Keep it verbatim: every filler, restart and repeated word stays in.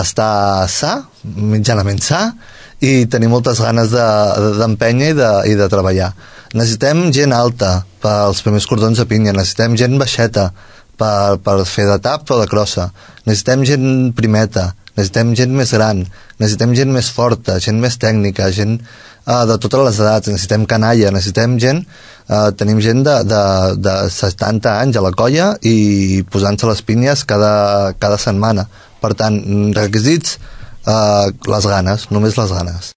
estar sa, mitjanament sa, i tenir moltes ganes d'empènyer de, de, i, de, i de treballar. Necessitem gent alta pels primers cordons de pinya, necessitem gent baixeta per, per fer de tap o de crossa, necessitem gent primeta, necessitem gent més gran, necessitem gent més forta, gent més tècnica, gent uh, de totes les edats, necessitem canalla, necessitem gent, uh, tenim gent de, de, de setanta anys a la colla i posant-se les pinyes cada, cada setmana. Per tant, requisits, uh, les ganes, només les ganes.